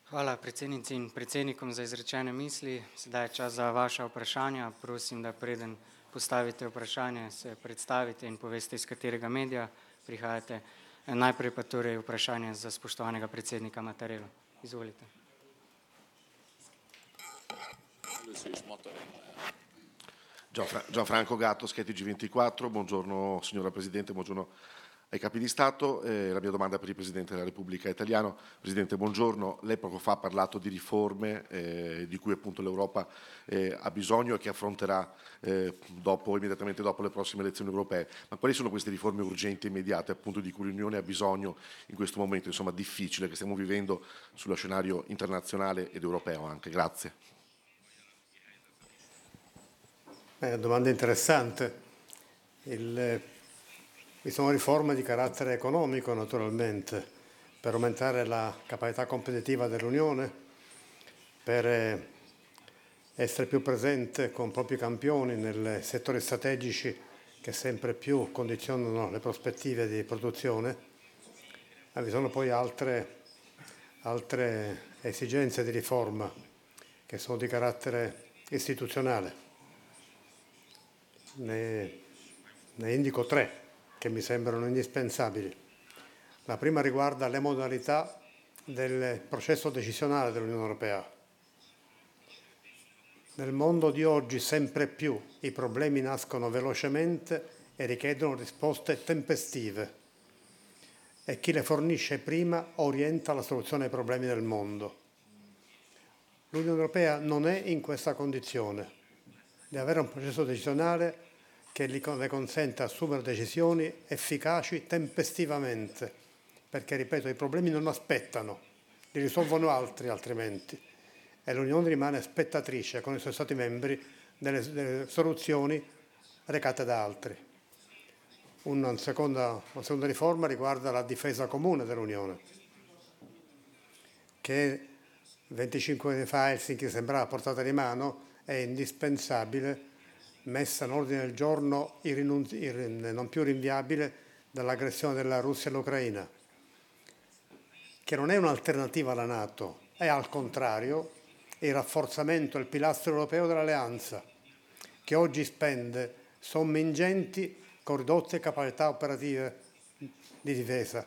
S1: Hvala predsednici in predsednikom za izrečene misli. Sedaj je čas za vaša vprašanja. Prosim, da preden postavite vprašanje, se predstavite in poveste, iz katerega medija prihajate. Najprej pa torej vprašanje za spoštovanega predsednika Mattarella. Izvolite.
S7: Gianfranco Gatto, Schetti G24, buongiorno signora Presidente, buongiorno ai capi di Stato. La mia domanda è per il Presidente della Repubblica Italiano. Presidente, buongiorno. Lei poco fa ha parlato di riforme di cui appunto l'Europa ha bisogno e che affronterà immediatamente dopo le prossime elezioni europee. Ma quali sono queste riforme urgenti e immediate appunto di cui l'Unione ha bisogno in questo momento insomma difficile che stiamo vivendo sullo scenario internazionale ed europeo anche? Grazie.
S3: Domanda interessante. Vi sono riforme di carattere economico naturalmente per aumentare la capacità competitiva dell'Unione, per essere più presente con propri campioni nei settori strategici che sempre più condizionano le prospettive di produzione. Ma vi sono poi altre esigenze di riforma che sono di carattere istituzionale. Ne indico 3 che mi sembrano indispensabili. La prima riguarda le modalità del processo decisionale dell'Unione Europea. Nel mondo di oggi sempre più i problemi nascono velocemente e richiedono risposte tempestive e chi le fornisce prima orienta la soluzione ai problemi del mondo. L'Unione Europea non è in questa condizione. Di avere un processo decisionale che le consente di assumere decisioni efficaci tempestivamente, perché, ripeto, i problemi non aspettano, li risolvono altri altrimenti, e l'Unione rimane spettatrice con i suoi Stati membri delle soluzioni recate da altri. Una seconda riforma riguarda la difesa comune dell'Unione, che 25 anni fa a Helsinki sembrava a portata di mano, è indispensabile, messa in ordine del giorno non più rinviabile dall'aggressione della Russia all'Ucraina, che non è un'alternativa alla NATO, è al contrario il rafforzamento del pilastro europeo dell'alleanza, che oggi spende somme ingenti con ridotte capacità operative di difesa.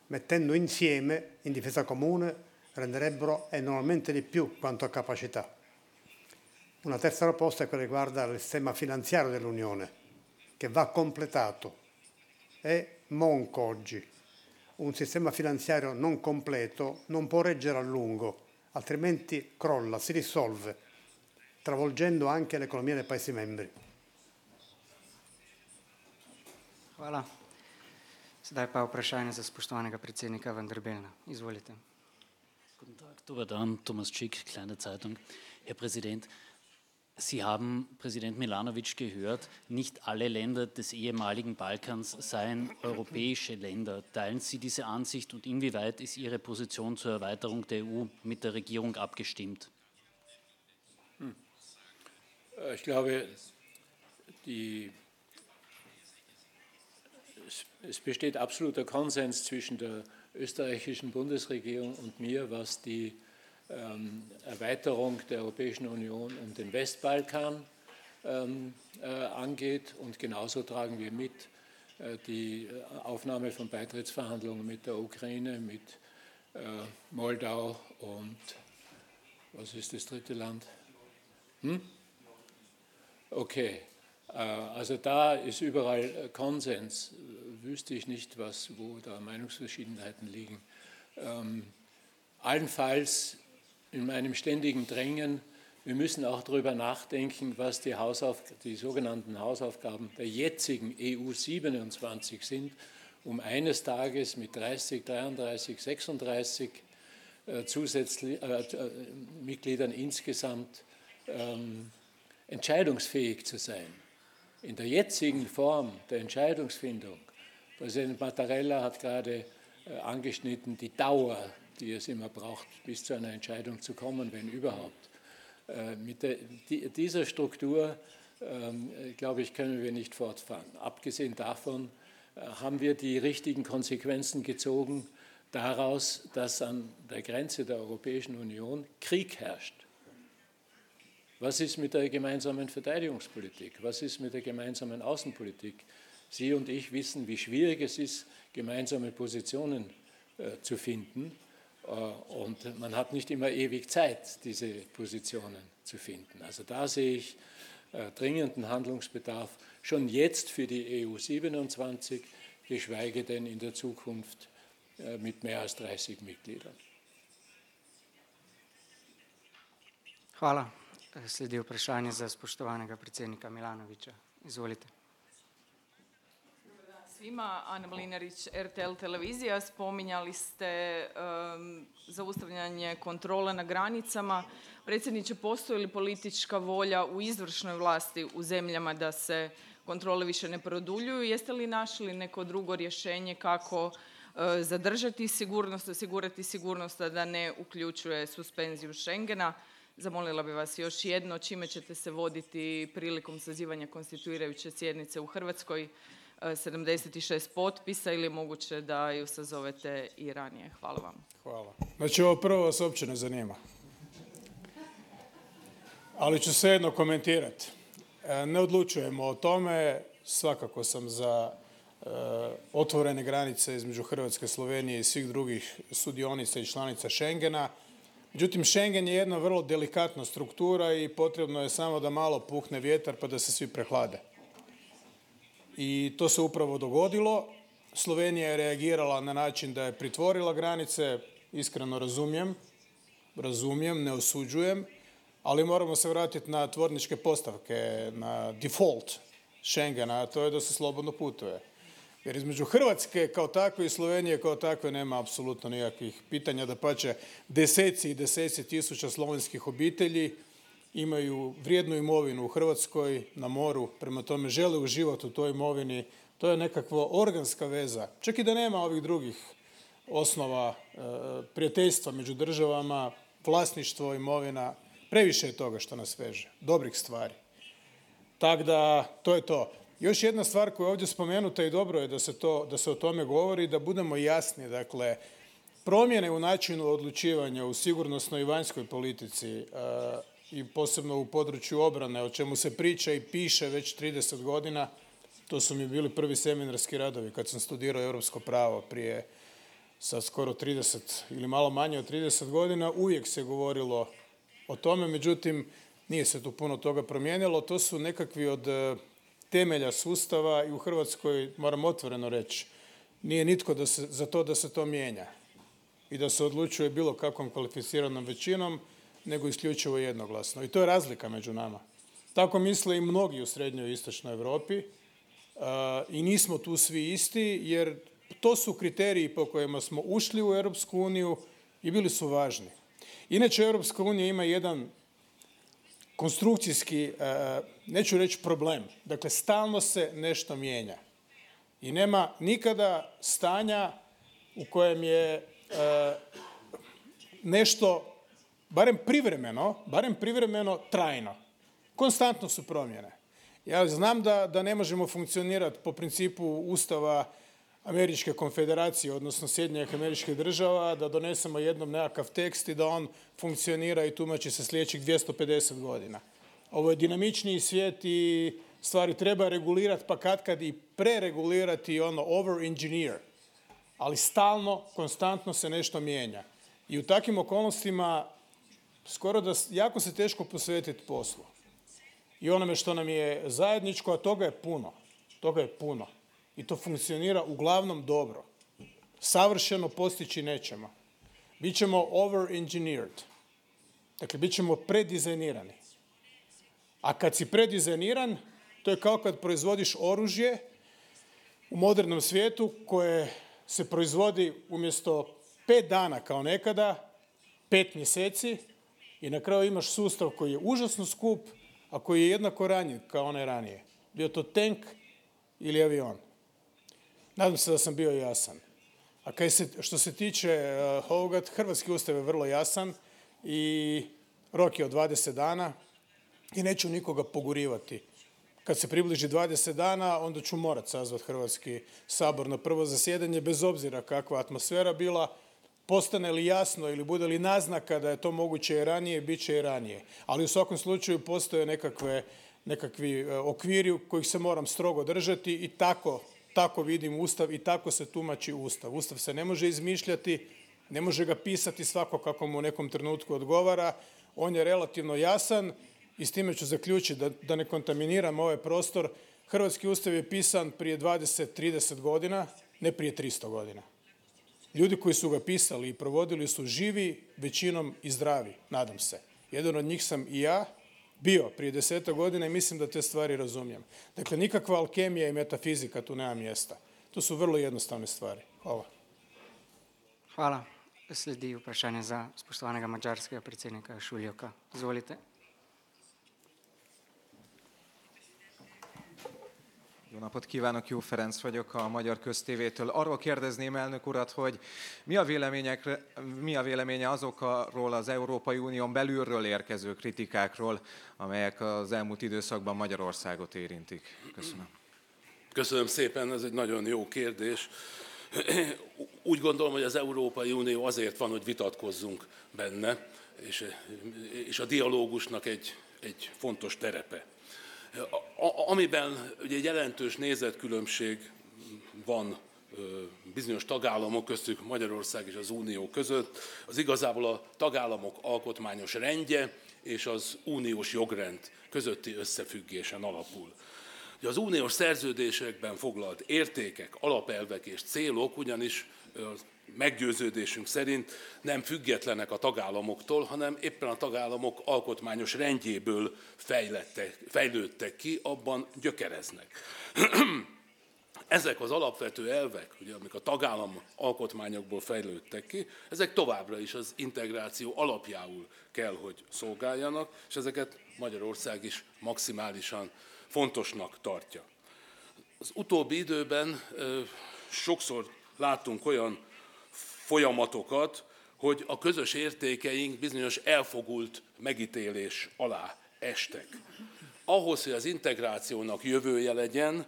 S3: Mettendo insieme in difesa comune renderebbero enormemente di più quanto a capacità. Una terza proposta è quella che riguarda il sistema finanziario dell'Unione, che va completato. È monco oggi. Un sistema finanziario non completo non può reggere a lungo, altrimenti crolla, si dissolve, travolgendo anche l'economia dei Paesi membri.
S1: Hvala. Sedaj pa vprašanje za spoštovanega predsednika Van der Bellna. Izvolite.
S8: Guten Tag, dober dan, Thomas Schick, Kleine Zeitung. Herr Präsident, Sie haben Präsident Milanovic gehört, nicht alle Länder des ehemaligen Balkans seien europäische Länder. Teilen Sie diese Ansicht und inwieweit ist Ihre Position zur Erweiterung der EU mit der Regierung abgestimmt?
S4: Ich glaube, es besteht absoluter Konsens zwischen der österreichischen Bundesregierung und mir, was die Erweiterung der Europäischen Union um den Westbalkan angeht. Und genauso tragen wir mit die Aufnahme von Beitrittsverhandlungen mit der Ukraine, mit Moldau und was ist das dritte Land? Okay, also da ist überall Konsens. Wüsste ich nicht, wo da Meinungsverschiedenheiten liegen. Allenfalls in meinem ständigen Drängen, wir müssen auch darüber nachdenken, was die sogenannten Hausaufgaben der jetzigen EU 27 sind, um eines Tages mit 30, 33, 36 Mitgliedern insgesamt entscheidungsfähig zu sein. In der jetzigen Form der Entscheidungsfindung, Präsident Mattarella hat gerade angeschnitten, die Dauer, die es immer braucht, bis zu einer Entscheidung zu kommen, wenn überhaupt. Mit dieser Struktur, glaube ich, können wir nicht fortfahren. Abgesehen davon haben wir die richtigen Konsequenzen gezogen daraus, dass an der Grenze der Europäischen Union Krieg herrscht. Was ist mit der gemeinsamen Verteidigungspolitik? Was ist mit der gemeinsamen Außenpolitik? Sie und ich wissen, wie schwierig es ist, gemeinsame Positionen zu finden. Und man hat nicht immer ewig Zeit, diese Positionen zu finden. Also da sehe ich dringenden Handlungsbedarf schon jetzt für die EU 27, geschweige denn in der Zukunft mit mehr als 30 Mitgliedern.
S1: Hvala. Sledi vprašanje za spoštovanega predsednika Milanovića. Izvolite.
S9: Svima, Ana Mlinarić, RTL televizija, spominjali ste zaustavljanje kontrole na granicama. Predsjedniče, postoji li politička volja u izvršnoj vlasti u zemljama da se kontrole više ne produljuju? Jeste li našli neko drugo rješenje kako zadržati sigurnost, osigurati sigurnost, a da ne uključuje suspenziju Schengena? Zamolila bi vas još jedno, čime ćete se voditi prilikom sazivanja konstituirajuće sjednice u Hrvatskoj? 76 potpisa ili je moguće da ju sazovete i ranije? Hvala vam.
S5: Hvala. Znači, ovo prvo vas uopće ne zanima. Ali ću svejedno komentirati. Ne odlučujemo o tome. Svakako sam za otvorene granice između Hrvatske, Slovenije i svih drugih sudionica i članica Schengena. Međutim, Schengen je jedna vrlo delikatna struktura i potrebno je samo da malo puhne vjetar pa da se svi prehlade. I to se upravo dogodilo. Slovenija je reagirala na način da je pritvorila granice, iskreno razumijem, ne osuđujem, ali moramo se vratiti na tvorničke postavke, na default Schengena, a to je da se slobodno putuje. Jer između Hrvatske kao takve i Slovenije kao takve nema apsolutno nikakvih pitanja, dapače deseci i deseci tisuća slovenskih obitelji imaju vrijednu imovinu u Hrvatskoj na moru, prema tome žele uživati u toj imovini. To je nekakva organska veza. Čak i da nema ovih drugih osnova prijateljstva među državama, vlasništvo, imovina, previše je toga što nas veže, dobrih stvari. Tako da, to je to. Još jedna stvar koja je ovdje spomenuta i dobro je da se o tome govori, da budemo jasni. Dakle, promjene u načinu odlučivanja u sigurnosnoj i vanjskoj politici i posebno u području obrane, o čemu se priča i piše već 30 godina, to su mi bili prvi seminarski radovi kad sam studirao europsko pravo prije sad skoro 30 ili malo manje od 30 godina, uvijek se govorilo o tome, međutim nije se tu puno toga promijenilo. To su nekakvi od temelja sustava i u Hrvatskoj, moram otvoreno reći, nije nitko za to da se to mijenja i da se odlučuje bilo kakvom kvalificiranom većinom, nego isključivo jednoglasno. I to je razlika među nama. Tako misle i mnogi u srednjoj i istočnoj Europi i nismo tu svi isti, jer to su kriteriji po kojima smo ušli u Europsku uniju i bili su važni. Inače, Europska unija ima jedan konstrukcijski, neću reći problem, dakle stalno se nešto mijenja. I nema nikada stanja u kojem je nešto barem privremeno trajno. Konstantno su promjene. Ja znam da ne možemo funkcionirati po principu Ustava Američke konfederacije, odnosno Sjedinjenih Američkih Država, da donesemo jednom nekakav tekst i da on funkcionira i tumači se sljedećih 250 godina. Ovo je dinamičniji svijet i stvari treba regulirati, pa katkad i preregulirati, over-engineer. Ali stalno, konstantno se nešto mijenja. I u takvim okolnostima skoro da jako se teško posvetiti poslu. I onome što nam je zajedničko, a toga je puno. I to funkcionira uglavnom dobro. Savršeno postići nećemo. Bićemo over-engineered. Dakle, bit ćemo predizajnirani. A kad si predizajniran, to je kao kad proizvodiš oružje u modernom svijetu koje se proizvodi umjesto 5 dana kao nekada, 5 mjeseci i na kraju imaš sustav koji je užasno skup, a koji je jednako ranjiv kao onaj ranije. Bio to tank ili avion. Nadam se da sam bio jasan. A što se tiče ovoga, hrvatski ustav je vrlo jasan i rok je od 20 dana i neću nikoga pogurivati. Kad se približi 20 dana, onda ću morat sazvati Hrvatski sabor na prvo zasjedanje, bez obzira kakva atmosfera bila. Postane li jasno ili bude li naznaka da je to moguće i ranije, bit će i ranije. Ali u svakom slučaju postoje nekakvi okviri kojih se moram strogo držati i tako vidim Ustav i tako se tumači Ustav. Ustav se ne može izmišljati, Ne može ga pisati svako kako mu u nekom trenutku odgovara. On je relativno jasan i s time ću zaključiti da ne kontaminiram ovaj prostor. Hrvatski ustav je pisan prije 20-30 godina, ne prije 300 godina. Ljudi koji su ga pisali i provodili su živi, većinom i zdravi, nadam se. Jedan od njih sam i ja bio prije 10 godina i mislim da te stvari razumijem. Dakle, nikakva alkemija i metafizika tu nema mjesta. To su vrlo jednostavne stvari. Hvala.
S1: Hvala. Sledi vprašanje za spoštovanega mađarskega predsednika Šuljoka. Izvolite.
S10: Jó napot kívánok, Jó Ferenc vagyok a Magyar Köztévétől. Arról kérdezném elnök urat, hogy mi a véleménye azokról az Európai Unión belülről érkező kritikákról, amelyek az elmúlt időszakban Magyarországot érintik? Köszönöm.
S6: Köszönöm szépen, ez egy nagyon jó kérdés. Úgy gondolom, hogy az Európai Unió azért van, hogy vitatkozzunk benne, és a dialógusnak egy fontos terepe. Amiben ugye egy jelentős nézetkülönbség van bizonyos tagállamok köztük Magyarország és az Unió között, az igazából a tagállamok alkotmányos rendje és az uniós jogrend közötti összefüggésen alapul. Az uniós szerződésekben foglalt értékek, alapelvek és célok ugyanis meggyőződésünk szerint nem függetlenek a tagállamoktól, hanem éppen a tagállamok alkotmányos rendjéből fejlődtek ki, abban gyökereznek. Ezek az alapvető elvek, ugye, amik a tagállam alkotmányokból fejlődtek ki, ezek továbbra is az integráció alapjául kell, hogy szolgáljanak, és ezeket Magyarország is maximálisan fontosnak tartja. Az utóbbi időben sokszor láttunk olyan folyamatokat, hogy a közös értékeink bizonyos elfogult megítélés alá estek. Ahhoz, hogy az integrációnak jövője legyen,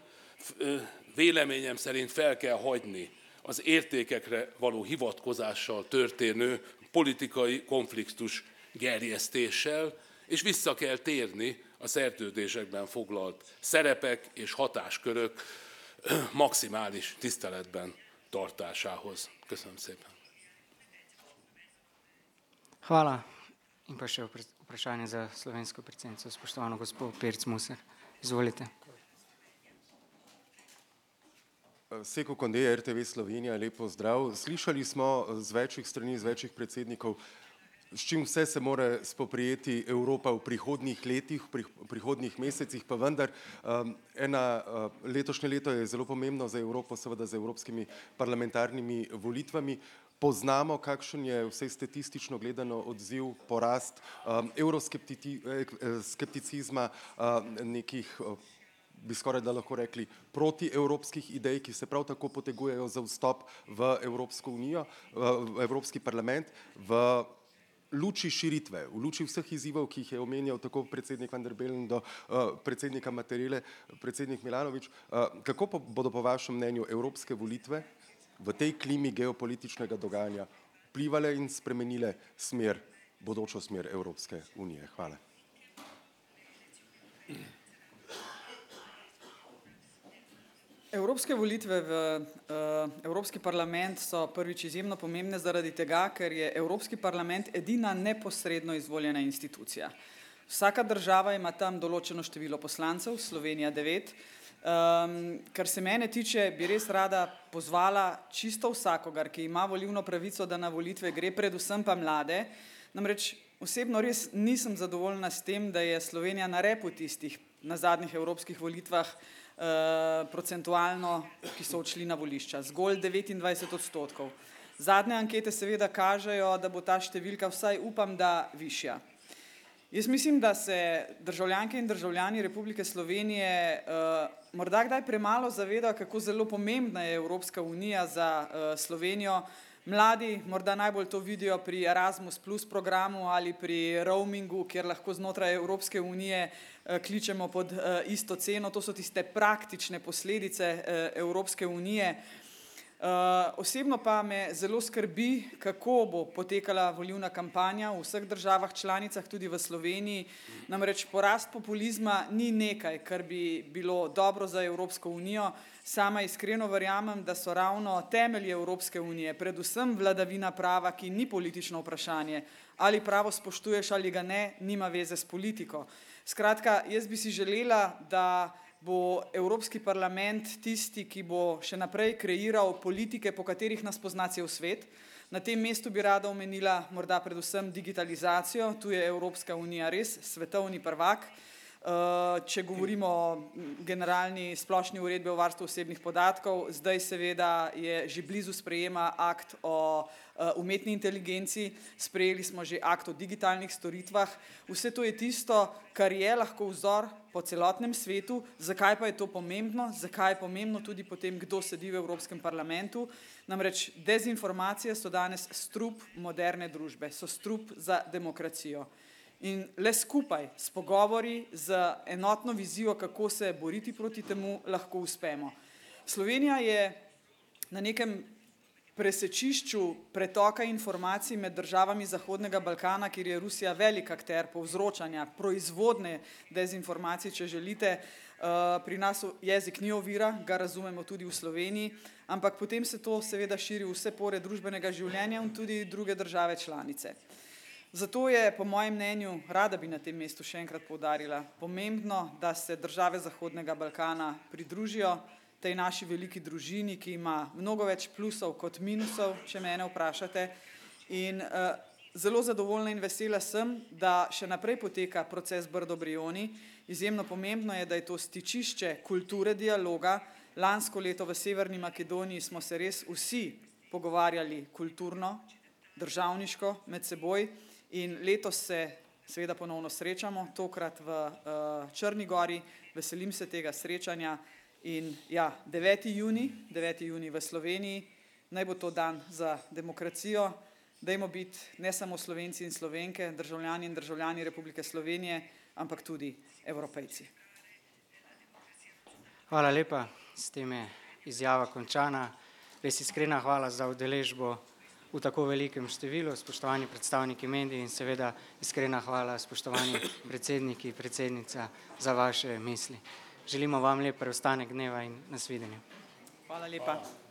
S6: véleményem szerint fel kell hagyni az értékekre való hivatkozással történő politikai konfliktus gerjesztéssel, és vissza kell térni a szerződésekben foglalt szerepek és hatáskörök maximális tiszteletben tartásához. Köszönöm szépen.
S1: Hvala. In pa še vprašanje za slovensko predsednico, spoštovano gospod Pirc Musar. Izvolite.
S11: Seko Konde, RTV Slovenija, lepo zdrav. Slišali smo z večjih strani, z večjih predsednikov, s čim vse se mora spoprijeti Evropa v prihodnjih letih, v prihodnjih mesecih, pa vendar letošnje leto je zelo pomembno za Evropo, seveda z evropskimi parlamentarnimi volitvami. Poznamo, kakšen je vse statistično gledano odziv, porast euroskepticizma, nekih, bi skoraj da lahko rekli, protievropskih idej, ki se prav tako potegujejo za vstop v Evropsko unijo, v Evropski parlament, v luči širitve, v luči vseh izzivov, ki jih je omenjal tako predsednik Van der Bellen do predsednika Mattarelle, predsednik Milanović, kako bodo po vašem mnenju evropske volitve v tej klimi geopolitičnega dogajanja vplivale in spremenile smer, bodočo smer Evropske unije? Hvala.
S2: Evropske volitve v Evropski parlament so prvič izjemno pomembne zaradi tega, ker je Evropski parlament edina neposredno izvoljena institucija. Vsaka država ima tam določeno število poslancev, Slovenija 9. Kar se mene tiče, bi res rada pozvala čisto vsakogar, ki ima volilno pravico, da na volitve gre, predvsem pa mlade. Namreč osebno res nisem zadovoljna s tem, da je Slovenija na repu tistih na zadnjih evropskih volitvah procentualno, ki so odšli na volišča, zgolj 29%. Zadnje ankete seveda kažejo, da bo ta številka vsaj upam, da višja. Jaz mislim, da se državljanke in državljani Republike Slovenije morda kdaj premalo zavedajo, kako zelo pomembna je Evropska unija za Slovenijo. Mladi morda najbolj to vidijo pri Erasmus Plus programu ali pri roamingu, kjer lahko znotraj Evropske unije kličemo pod isto ceno. To so tiste praktične posledice Evropske unije. Osebno pa me zelo skrbi, kako bo potekala volilna kampanja v vseh državah članicah, tudi v Sloveniji. Namreč porast populizma ni nekaj, kar bi bilo dobro za Evropsko unijo. Sama iskreno verjamem, da so ravno temelji Evropske unije, predvsem vladavina prava, ki ni politično vprašanje, ali pravo spoštuješ ali ga ne, nima veze s politiko. Skratka, jaz bi si želela, da bo Evropski parlament tisti, ki bo še naprej kreiral politike, po katerih nas pozna cel svet. Na tem mestu bi rada omenila morda predvsem digitalizacijo, tu je Evropska unija res svetovni prvak. Če govorimo o generalni splošni uredbi o varstvu osebnih podatkov, zdaj seveda je že blizu sprejema akt o umetni inteligenci, sprejeli smo že akt o digitalnih storitvah. Vse to je tisto, kar je lahko vzor po celotnem svetu. Zakaj pa je to pomembno? Zakaj je pomembno tudi potem, kdo sedi v Evropskem parlamentu? Namreč dezinformacije so danes strup moderne družbe, so strup za demokracijo. In le skupaj s pogovori, z enotno vizijo, kako se boriti proti temu, lahko uspemo. Slovenija je na nekem presečišču pretoka informacij med državami Zahodnega Balkana, kjer je Rusija velik akter povzročanja, proizvodne dezinformacij, če želite. Pri nas jezik ni ovira, ga razumemo tudi v Sloveniji, ampak potem se to seveda širi v vse pore družbenega življenja in tudi druge države članice. Zato je, po mojem mnenju, rada bi na tem mestu še enkrat poudarila, pomembno, da se države Zahodnega Balkana pridružijo tej naši veliki družini, ki ima mnogo več plusov kot minusov, če mene vprašate. In zelo zadovoljna in vesela sem, da še naprej poteka proces Brdo-Brioni. Izjemno pomembno je, da je to stičišče kulture dialoga. Lansko leto v Severni Makedoniji smo se res vsi pogovarjali kulturno, državniško med seboj. In letos se seveda ponovno srečamo, tokrat v Črni gori, veselim se tega srečanja in ja, 9. junij v Sloveniji, naj bo to dan za demokracijo, dajmo biti ne samo Slovenci in Slovenke, državljani in državljani Republike Slovenije, ampak tudi Evropejci.
S1: Hvala lepa, s tem je izjava končana. Res iskrena hvala za udeležbo v tako velikem številu, spoštovani predstavniki medijev in seveda iskrena hvala, spoštovani predsedniki, predsednica, za vaše misli. Želimo vam lep preostanek dneva in nasvidenje.
S2: Hvala lepa.